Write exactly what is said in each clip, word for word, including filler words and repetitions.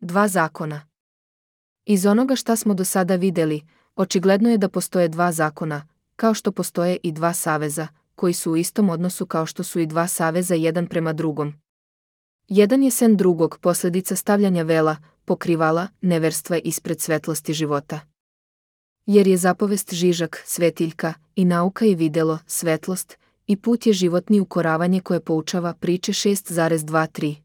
Dva zakona. Iz onoga šta smo do sada vidjeli, očigledno je da postoje dva zakona, kao što postoje i dva saveza, koji su u istom odnosu kao što su i dva saveza jedan prema drugom. Jedan je sen drugog, posljedica stavljanja vela, pokrivala, neverstva ispred svetlosti života. Jer je zapovest žižak, svetiljka, i nauka je videlo, svetlost, i put je životni ukoravanje koje poučava priče šest dvadesет tri.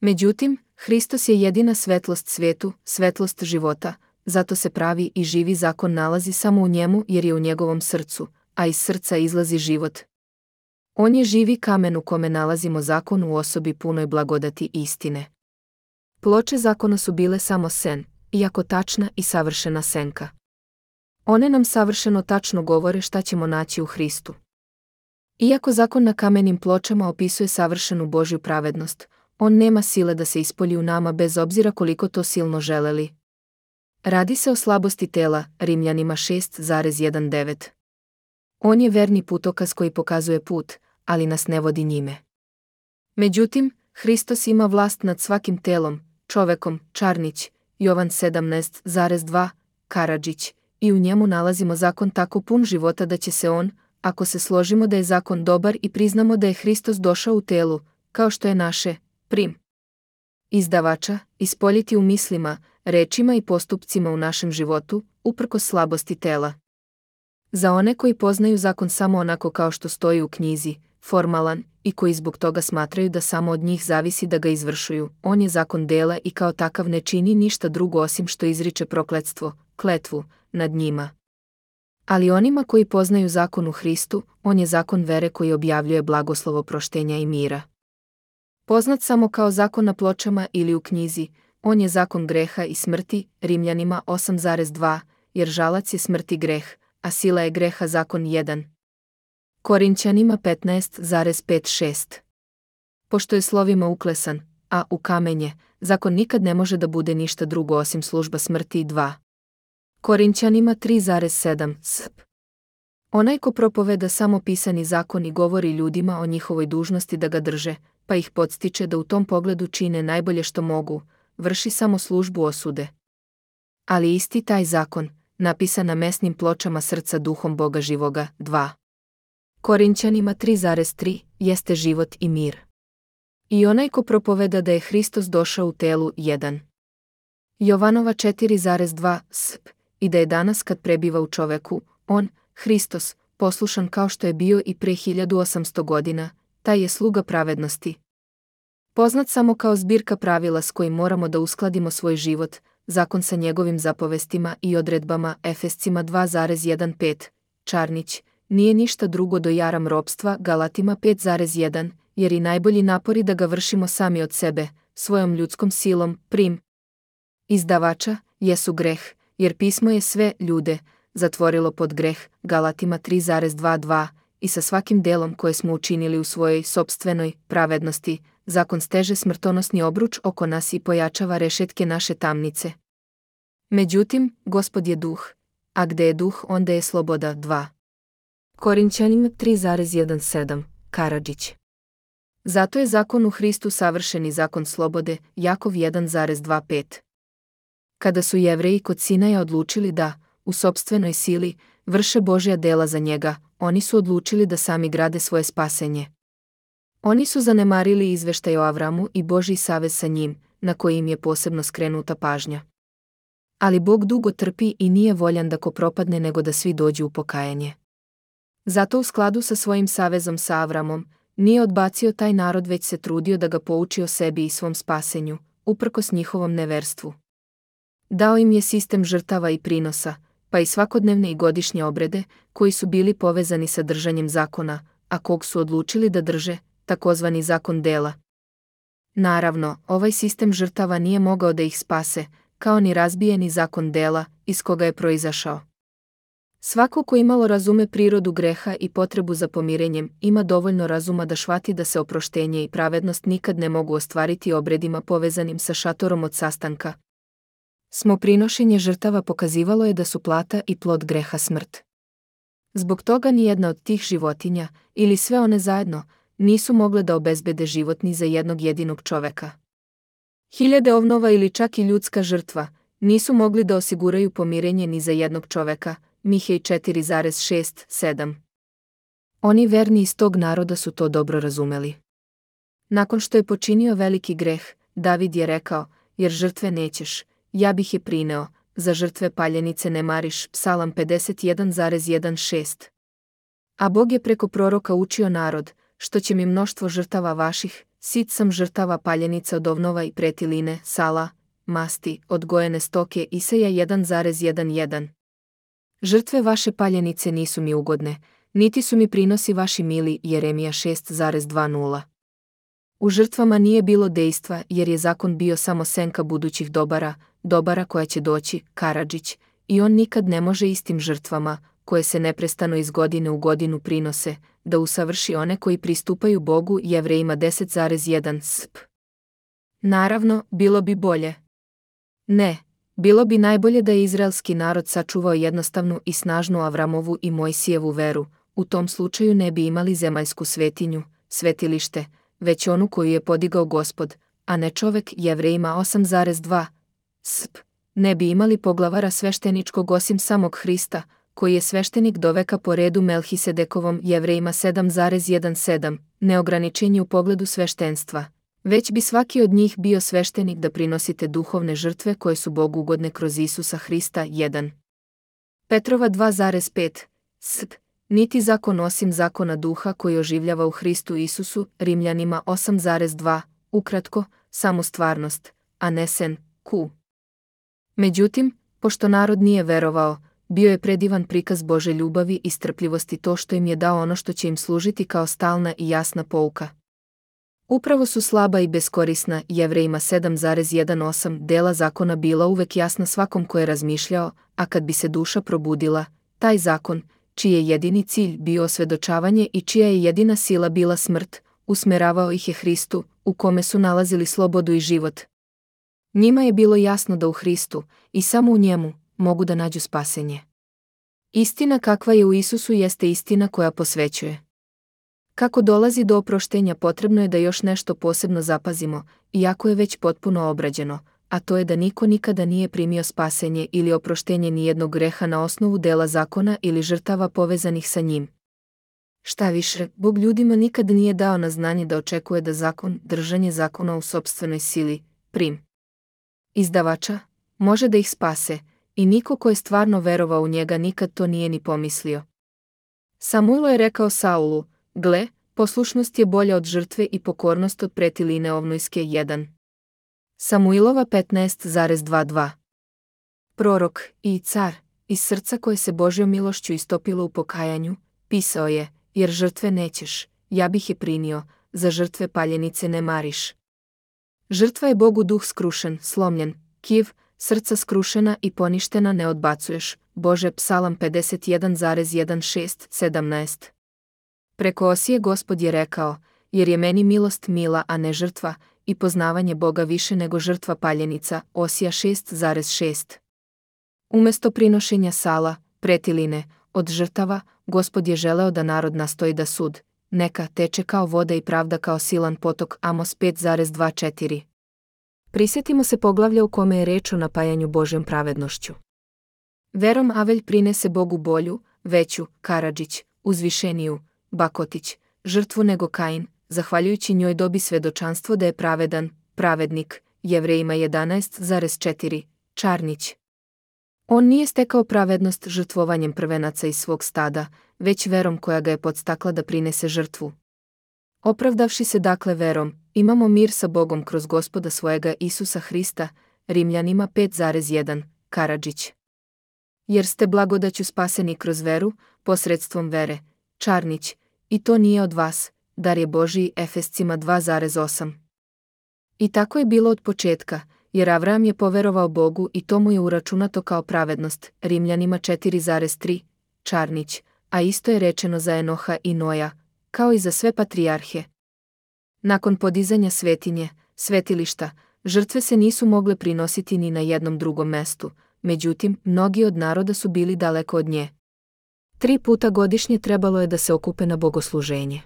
Međutim, Hristos je jedina svetlost svijetu, svetlost života, zato se pravi i živi zakon nalazi samo u njemu jer je u njegovom srcu, a iz srca izlazi život. On je živi kamen u kome nalazimo zakon u osobi punoj blagodati i istine. Ploče zakona su bile samo sen, iako tačna i savršena senka. One nam savršeno tačno govore šta ćemo naći u Hristu. Iako zakon na kamenim pločama opisuje savršenu Božju pravednost, on nema sile da se ispolji u nama bez obzira koliko to silno želeli. Radi se o slabosti tela, Rimljanima šest devet. On je verni putokaz koji pokazuje put, ali nas ne vodi njime. Međutim, Hristos ima vlast nad svakim telom, čovekom, Čarnić, Jovan sedamnaest dva, Karadžić, i u njemu nalazimo zakon tako pun života da će se on, ako se složimo da je zakon dobar i priznamo da je Hristos došao u telu, kao što je naše, prim. Izdavača, ispoljiti u mislima, rečima i postupcima u našem životu, uprkos slabosti tela. Za one koji poznaju zakon samo onako kao što stoji u knjizi, formalan, i koji zbog toga smatraju da samo od njih zavisi da ga izvršuju, on je zakon dela i kao takav ne čini ništa drugo osim što izriče prokletstvo, kletvu, nad njima. Ali onima koji poznaju zakon u Hristu, on je zakon vere koji objavljuje blagoslovo proštenja i mira. Poznat samo kao zakon na pločama ili u knjizi, on je zakon greha i smrti, Rimljanima osam dva, jer žalac je smrti greh, a sila je greha zakon jedan. Korinćanima petnaest pet šest. Pošto je slovima uklesan, a u kamenje, zakon nikad ne može da bude ništa drugo osim služba smrti dva. Korinćanima tri sedam sp. Onaj ko propoveda samo pisani zakon i govori ljudima o njihovoj dužnosti da ga drže, pa ih podstiče da u tom pogledu čine najbolje što mogu, vrši samo službu osude. Ali isti taj zakon, napisan na mesnim pločama srca duhom Boga živoga, dva. Korinćanima tri tri, jeste život i mir. I onaj ko propoveda da je Hristos došao u telu, jedan. Jovanova četiri dva sp. I da je danas kad prebiva u čoveku, on, Hristos, poslušan kao što je bio i pre hiljadu osamsto godina, taj je sluga pravednosti. Poznat samo kao zbirka pravila s kojim moramo da uskladimo svoj život, zakon sa njegovim zapovestima i odredbama, Efescima dva pet, Čarnić, nije ništa drugo do jaram ropstva, Galatima pet jedan, jer i najbolji napori da ga vršimo sami od sebe, svojom ljudskom silom, prim. Izdavača, jesu greh, jer pismo je sve ljude zatvorilo pod greh, Galatima tri dvadeset dva, i sa svakim delom koje smo učinili u svojoj sopstvenoj pravednosti, zakon steže smrtonosni obruč oko nas i pojačava rešetke naše tamnice. Međutim, Gospod je duh, a gde je duh onda je sloboda, dva. Korinćanima tri sedam, Karadžić. Zato je zakon u Hristu savršeni zakon slobode, Jakov jedan dvadeset pet. Kada su Jevreji kod Sinaja odlučili da, u sopstvenoj sili, vrše Božja dela za njega, oni su odlučili da sami grade svoje spasenje. Oni su zanemarili izveštaj o Avramu i Božji savez sa njim, na koji im je posebno skrenuta pažnja. Ali Bog dugo trpi i nije voljan da ko propadne nego da svi dođu u pokajanje. Zato u skladu sa svojim savezom sa Avramom, nije odbacio taj narod već se trudio da ga pouči o sebi i svom spasenju, uprkos njihovom neverstvu. Dao im je sistem žrtava i prinosa, pa i svakodnevne i godišnje obrede, koji su bili povezani sa držanjem zakona, a kog su odlučili da drže, takozvani zakon dela. Naravno, ovaj sistem žrtava nije mogao da ih spase, kao ni razbijeni zakon dela, iz koga je proizašao. Svako ko imalo razume prirodu greha i potrebu za pomirenjem, ima dovoljno razuma da shvati da se oproštenje i pravednost nikad ne mogu ostvariti obredima povezanim sa šatorom od sastanka. Smo prinošenje žrtava pokazivalo je da su plata i plod greha smrt. Zbog toga nijedna od tih životinja, ili sve one zajedno, nisu mogle da obezbede život ni za jednog jedinog čoveka. Hiljade ovnova ili čak i ljudska žrtva nisu mogli da osiguraju pomirenje ni za jednog čoveka, Mihej četiri šest sedam. Oni verni iz tog naroda su to dobro razumeli. Nakon što je počinio veliki greh, David je rekao, jer žrtve nećeš, ja bih je prineo, za žrtve paljenice ne mariš, Psalam pedeset jedan šest. A Bog je preko proroka učio narod, što će mi mnoštvo žrtava vaših, sit sam žrtava paljenica od ovnova i pretiline, sala, masti, odgojene stoke, Isaja jedan jedan. Žrtve vaše paljenice nisu mi ugodne, niti su mi prinosi vaši mili, Jeremija šest dvadeset. U žrtvama nije bilo dejstva, jer je zakon bio samo senka budućih dobara, dobara koja će doći, Karadžić, i on nikad ne može istim žrtvama, koje se neprestano iz godine u godinu prinose, da usavrši one koji pristupaju Bogu, Jevrejima deset jedan sp. Naravno, bilo bi bolje. Ne, bilo bi najbolje da je izraelski narod sačuvao jednostavnu i snažnu Avramovu i Mojsijevu veru, u tom slučaju ne bi imali zemaljsku svetinju, svetilište, već onu koju je podigao Gospod, a ne čovek, Jevrejima osam dva sp. Ne bi imali poglavara svešteničkog osim samog Hrista, koji je sveštenik do veka po redu Melhisedekovom, Jevrejima sedam sedam, neograničenje u pogledu sveštenstva, već bi svaki od njih bio sveštenik da prinosite duhovne žrtve koje su Bogu ugodne kroz Isusa Hrista. jedan. Petrova dva pet sp. Niti zakon osim zakona duha koji oživljava u Hristu Isusu, Rimljanima osam dva, ukratko, samo stvarnost, a ne sen, ku. Međutim, pošto narod nije verovao, bio je predivan prikaz Bože ljubavi i strpljivosti to što im je dao ono što će im služiti kao stalna i jasna pouka. Upravo su slaba i beskorisna, Jevrejima sedam osam dela zakona bila uvek jasna svakom ko je razmišljao, a kad bi se duša probudila, taj zakon, čiji je jedini cilj bio osvedočavanje i čija je jedina sila bila smrt, usmeravao ih je Hristu, u kome su nalazili slobodu i život. Njima je bilo jasno da u Hristu, i samo u njemu, mogu da nađu spasenje. Istina kakva je u Isusu jeste istina koja posvećuje. Kako dolazi do oproštenja, potrebno je da još nešto posebno zapazimo, iako je već potpuno obrađeno, a to je da niko nikada nije primio spasenje ili oproštenje nijednog greha na osnovu dela zakona ili žrtava povezanih sa njim. Šta više, Bog ljudima nikad nije dao na znanje da očekuje da zakon, držanje zakona u sopstvenoj sili, prim izdavača, može da ih spase, i niko ko je stvarno verovao u njega nikad to nije ni pomislio. Samuilo je rekao Saulu, gle, poslušnost je bolja od žrtve i pokornost od pretiline ovnojske. jedan. Samuilova petnaest dvadeset dva. Prorok i car, iz srca koje se Božjom milošću istopilo u pokajanju, pisao je, jer žrtve nećeš, ja bih je prinio, za žrtve paljenice ne mariš. Žrtva je Bogu duh skrušen, slomljen, kiv, srca skrušena i poništena ne odbacuješ, Bože, Psalam pedeset jedan šest sedamnaest. Preko Osije Gospod je rekao, jer je meni milost mila, a ne žrtva, i poznavanje Boga više nego žrtva paljenica, Osija šest šest. Umesto prinošenja sala, pretiline, od žrtava, Gospod je želeo da narod nastoji da sud, neka teče kao voda i pravda kao silan potok, Amos pet četiri. Prisjetimo se poglavlja u kome je reč o napajanju Božjom pravednošću. Verom Avelj prinese Bogu bolju, veću, Karadžić, uzvišeniju, Bakotić, žrtvu nego Kain, zahvaljujući njoj dobi svedočanstvo da je pravedan, pravednik, Jevrejima jedanaest četiri, Čarnić. On nije stekao pravednost žrtvovanjem prvenaca iz svog stada, već verom koja ga je podstakla da prinese žrtvu. Opravdavši se dakle verom, imamo mir sa Bogom kroz Gospoda svojega Isusa Hrista, Rimljanima pet jedan, Karadžić. Jer ste blagodaću spaseni kroz veru, posredstvom vere, Čarnić, i to nije od vas, dar je Božiji, Efescima dva osam. I tako je bilo od početka, jer Avram je poverovao Bogu i to mu je uračunato kao pravednost, Rimljanima četiri tri, Čarnić, a isto je rečeno za Enoha i Noja, kao i za sve patrijarhe. Nakon podizanja svetinje, svetilišta, žrtve se nisu mogle prinositi ni na jednom drugom mestu, međutim, mnogi od naroda su bili daleko od nje. Tri puta godišnje trebalo je da se okupe na bogosluženje.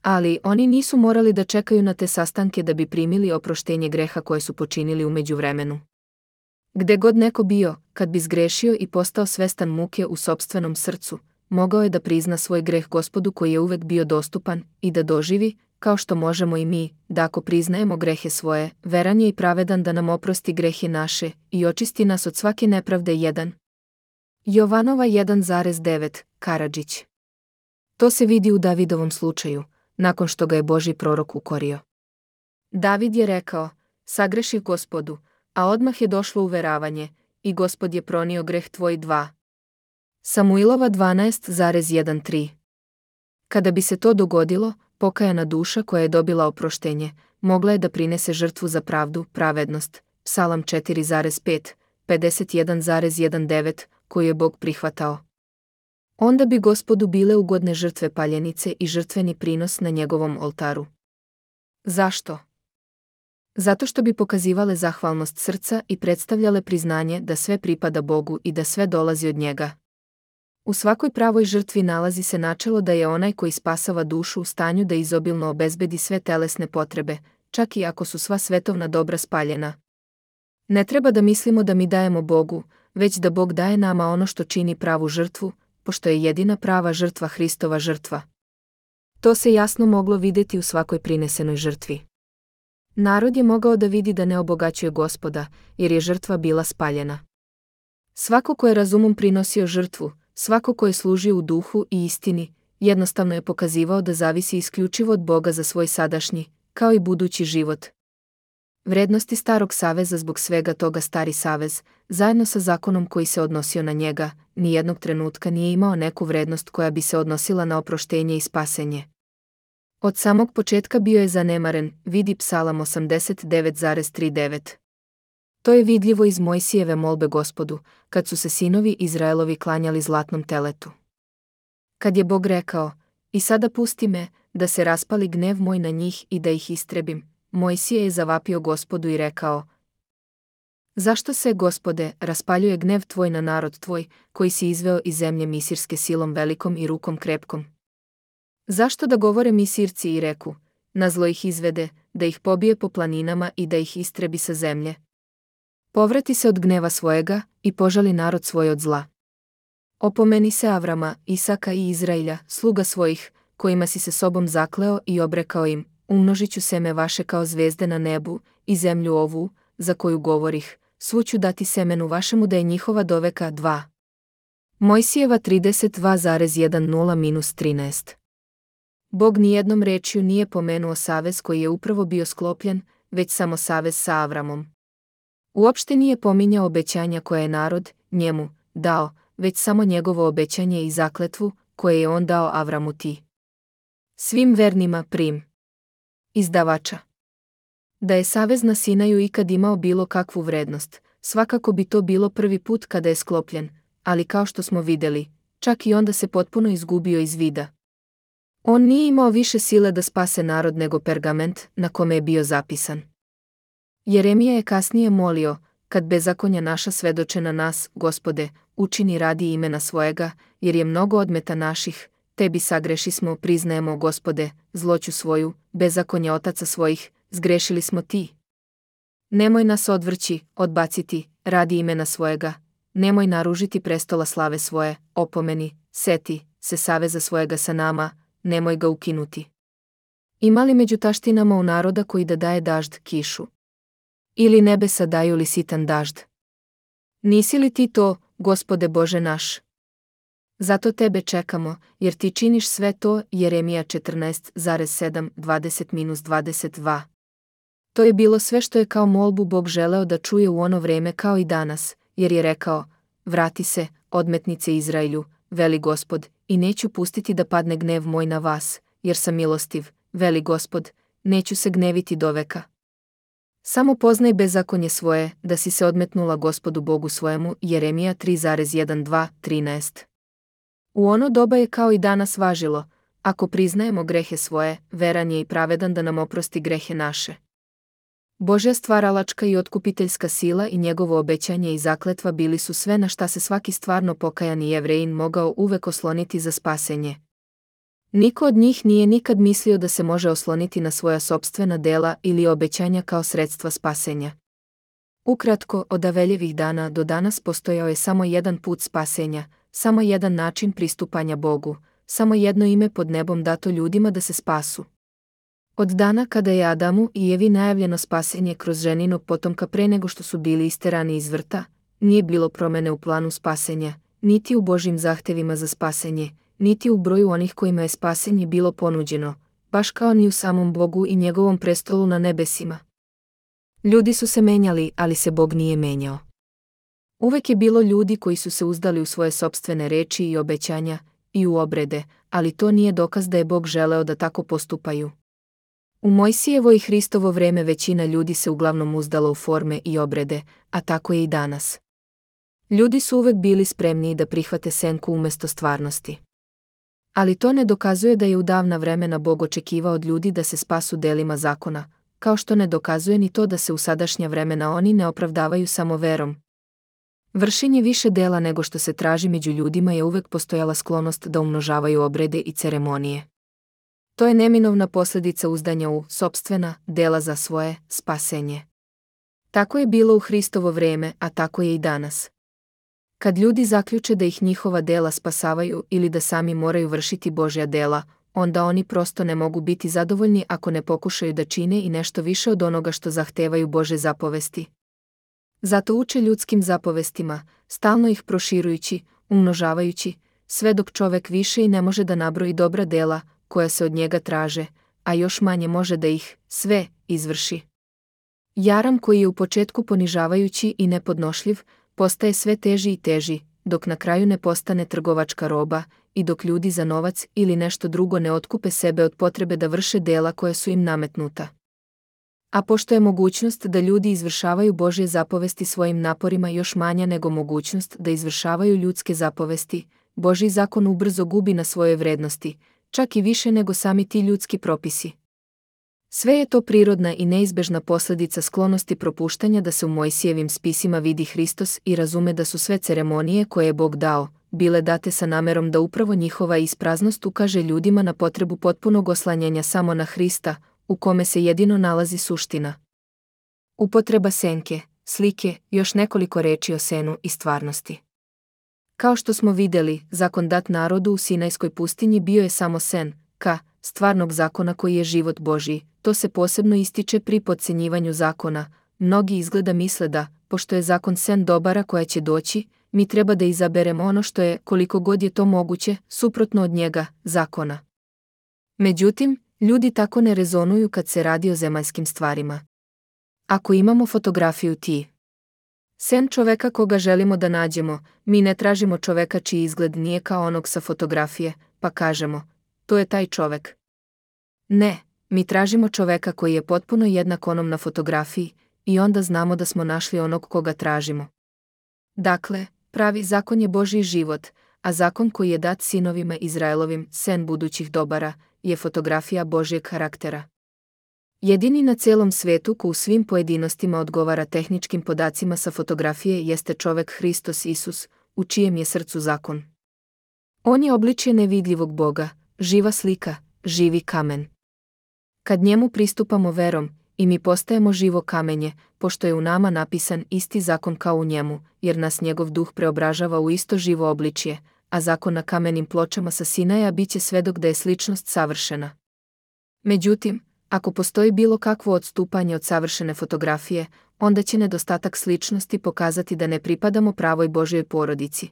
Ali oni nisu morali da čekaju na te sastanke da bi primili oproštenje greha koje su počinili u međuvremenu. Gde god neko bio, kad bi zgrešio i postao svestan muke u sopstvenom srcu, mogao je da prizna svoj greh Gospodu koji je uvek bio dostupan i da doživi, kao što možemo i mi, da ako priznajemo grehe svoje, veran je i pravedan da nam oprosti grehe naše i očisti nas od svake nepravde. jedan. Jovanova jedan zarez devet, Karadžić. To se vidi u Davidovom slučaju, nakon što ga je Božji prorok ukorio. David je rekao, sagreših Gospodu, a odmah je došlo uveravanje, i Gospod je pronio greh tvoj. dva. Samuilova dvanaest zarez trinaest. Kada bi se to dogodilo, pokajana duša koja je dobila oproštenje, mogla je da prinese žrtvu za pravdu, pravednost, Psalam četiri zarez pet, pedeset jedan zarez devetnaest, koju je Bog prihvatao. Onda bi Gospodu bile ugodne žrtve paljenice i žrtveni prinos na njegovom oltaru. Zašto? Zato što bi pokazivale zahvalnost srca i predstavljale priznanje da sve pripada Bogu i da sve dolazi od njega. U svakoj pravoj žrtvi nalazi se načelo da je onaj koji spasava dušu u stanju da izobilno obezbedi sve telesne potrebe, čak i ako su sva svetovna dobra spaljena. Ne treba da mislimo da mi dajemo Bogu, već da Bog daje nama ono što čini pravu žrtvu, pošto je jedina prava žrtva Hristova žrtva. To se jasno moglo vidjeti u svakoj prinesenoj žrtvi. Narod je mogao da vidi da ne obogaćuje Gospoda, jer je žrtva bila spaljena. Svako ko je razumom prinosio žrtvu, svako ko je služio u duhu i istini, jednostavno je pokazivao da zavisi isključivo od Boga za svoj sadašnji, kao i budući život. Vrednosti starog saveza zbog svega toga stari savez, zajedno sa zakonom koji se odnosio na njega, nijednog trenutka nije imao neku vrednost koja bi se odnosila na oproštenje i spasenje. Od samog početka bio je zanemaren, vidi Psalam osamdeset devet zarez trideset devet. To je vidljivo iz Mojsijeve molbe Gospodu, kad su se sinovi Izraelovi klanjali zlatnom teletu. Kad je Bog rekao, i sada pusti me, da se raspali gnev moj na njih i da ih istrebim, Mojsije je zavapio Gospodu i rekao, zašto se, Gospode, raspaljuje gnev tvoj na narod tvoj, koji si izveo iz zemlje Misirske silom velikom i rukom krepkom? Zašto da govore Misirci i reku, na zlo ih izvede, da ih pobije po planinama i da ih istrebi sa zemlje? Povrati se od gneva svojega i požali narod svoj od zla. Opomeni se Avrama, Isaka i Izrailja, sluga svojih, kojima si se sobom zakleo i obrekao im, umnožit ću seme vaše kao zvezde na nebu i zemlju ovu, za koju govorih, svu ću dati semenu vašemu da je njihova doveka. dva. Mojsijeva trideset dva zarez deset trinaest. Bog nijednom rečju nije pomenuo savez koji je upravo bio sklopljen, već samo savez sa Avramom. Uopšte nije pominjao obećanja koje je narod, njemu, dao, već samo njegovo obećanje i zakletvu, koje je on dao Avramu ti. Svim vernima prim. Izdavača. Da je savez na Sinaju ikad imao bilo kakvu vrednost, svakako bi to bilo prvi put kada je sklopljen, ali kao što smo vidjeli, čak i onda se potpuno izgubio iz vida. On nije imao više sile da spase narod nego pergament na kome je bio zapisan. Jeremija je kasnije molio, kad bezakonja naša svedoče na nas, Gospode, učini radi imena svojega, jer je mnogo odmeta naših, tebi sagreši smo, priznajemo, Gospode, zloću svoju, bezakonja otaca svojih, zgrešili smo ti. Nemoj nas odvrći, odbaciti, radi imena svojega, nemoj naružiti prestola slave svoje, opomeni, seti se saveza svojega sa nama, nemoj ga ukinuti. Ima li među taštinama u naroda koji da daje dažd, kišu? Ili nebesa daju li sitan dažd? Nisi li ti to, Gospode Bože naš? Zato tebe čekamo, jer ti činiš sve to. Jeremija četrnaest zarez sedam dvadeset dvadeset dva. To je bilo sve što je kao molbu Bog želeo da čuje u ono vreme kao i danas, jer je rekao, vrati se, odmetnice Izraelju, veli Gospod, i neću pustiti da padne gnev moj na vas, jer sam milostiv, veli Gospod, neću se gneviti doveka. Samo poznaj bezakonje svoje, da si se odmetnula Gospodu Bogu svojemu. Jeremija tri zarez dvanaest trinaest. U ono doba je kao i danas važilo, ako priznajemo grehe svoje, veran je i pravedan da nam oprosti grehe naše. Božja stvaralačka i otkupiteljska sila i njegovo obećanje i zakletva bili su sve na šta se svaki stvarno pokajani Jevrejin mogao uvek osloniti za spasenje. Niko od njih nije nikad mislio da se može osloniti na svoja sopstvena dela ili obećanja kao sredstva spasenja. Ukratko, od Aveljevih dana do danas postojao je samo jedan put spasenja, samo jedan način pristupanja Bogu, samo jedno ime pod nebom dato ljudima da se spasu. Od dana kada je Adamu i Evi najavljeno spasenje kroz ženinog potomka pre nego što su bili isterani iz vrta, nije bilo promene u planu spasenja, niti u Božjim zahtevima za spasenje, niti u broju onih kojima je spasenje bilo ponuđeno, baš kao ni u samom Bogu i njegovom prestolu na nebesima. Ljudi su se menjali, ali se Bog nije menjao. Uvek je bilo ljudi koji su se uzdali u svoje sopstvene reči i obećanja, i u obrede, ali to nije dokaz da je Bog želeo da tako postupaju. U Mojsijevo i Hristovo vreme većina ljudi se uglavnom uzdala u forme i obrede, a tako je i danas. Ljudi su uvek bili spremniji da prihvate senku umesto stvarnosti. Ali to ne dokazuje da je u davna vremena Bog očekivao od ljudi da se spasu delima zakona, kao što ne dokazuje ni to da se u sadašnja vremena oni ne opravdavaju samo verom. Vršenje više dela nego što se traži među ljudima je uvek postojala sklonost da umnožavaju obrede i ceremonije. To je neminovna posljedica uzdanja u sopstvena dela za svoje spasenje. Tako je bilo u Hristovo vreme, a tako je i danas. Kad ljudi zaključe da ih njihova dela spasavaju ili da sami moraju vršiti Božja dela, onda oni prosto ne mogu biti zadovoljni ako ne pokušaju da čine i nešto više od onoga što zahtevaju Božje zapovesti. Zato uče ljudskim zapovestima, stalno ih proširujući, umnožavajući, sve dok čovek više i ne može da nabroji dobra dela koja se od njega traže, a još manje može da ih sve izvrši. Jaram koji je u početku ponižavajući i nepodnošljiv, postaje sve teži i teži, dok na kraju ne postane trgovačka roba i dok ljudi za novac ili nešto drugo ne otkupe sebe od potrebe da vrše dela koja su im nametnuta. A pošto je mogućnost da ljudi izvršavaju Božje zapovesti svojim naporima još manja nego mogućnost da izvršavaju ljudske zapovesti, Božji zakon ubrzo gubi na svojoj vrednosti, čak i više nego sami ti ljudski propisi. Sve je to prirodna i neizbežna posljedica sklonosti propuštanja da se u Mojsijevim spisima vidi Hristos i razume da su sve ceremonije koje je Bog dao, bile date sa namerom da upravo njihova ispraznost ukaže ljudima na potrebu potpunog oslanjanja samo na Hrista, u kome se jedino nalazi suština. Upotreba senke, slike, još nekoliko reči o senu i stvarnosti. Kao što smo vidjeli, zakon dat narodu u Sinajskoj pustinji bio je samo sen, ka, stvarnog zakona koji je život Božji. To se posebno ističe pri podcjenjivanju zakona. Mnogi izgleda misle da, pošto je zakon sen dobara koja će doći, mi treba da izaberemo ono što je, koliko god je to moguće, suprotno od njega, zakona. Međutim, ljudi tako ne rezonuju kad se radi o zemaljskim stvarima. Ako imamo fotografiju ti sen čoveka koga želimo da nađemo, mi ne tražimo čoveka čiji izgled nije kao onog sa fotografije, pa kažemo, to je taj čovek. Ne, mi tražimo čoveka koji je potpuno jednak onom na fotografiji i onda znamo da smo našli onog koga tražimo. Dakle, pravi zakon je Božji život, a zakon koji je dat sinovima Izraelovim, sen budućih dobara, je fotografija Božjeg karaktera. Jedini na celom svetu ko u svim pojedinostima odgovara tehničkim podacima sa fotografije jeste čovek Hristos Isus, u čijem je srcu zakon. On je obličje nevidljivog Boga, živa slika, živi kamen. Kad njemu pristupamo verom, i mi postajemo živo kamenje, pošto je u nama napisan isti zakon kao u njemu, jer nas njegov duh preobražava u isto živo obličje, a zakon na kamenim pločama sa Sinaja biće svedok da je sličnost savršena. Međutim, ako postoji bilo kakvo odstupanje od savršene fotografije, onda će nedostatak sličnosti pokazati da ne pripadamo pravoj Božjoj porodici.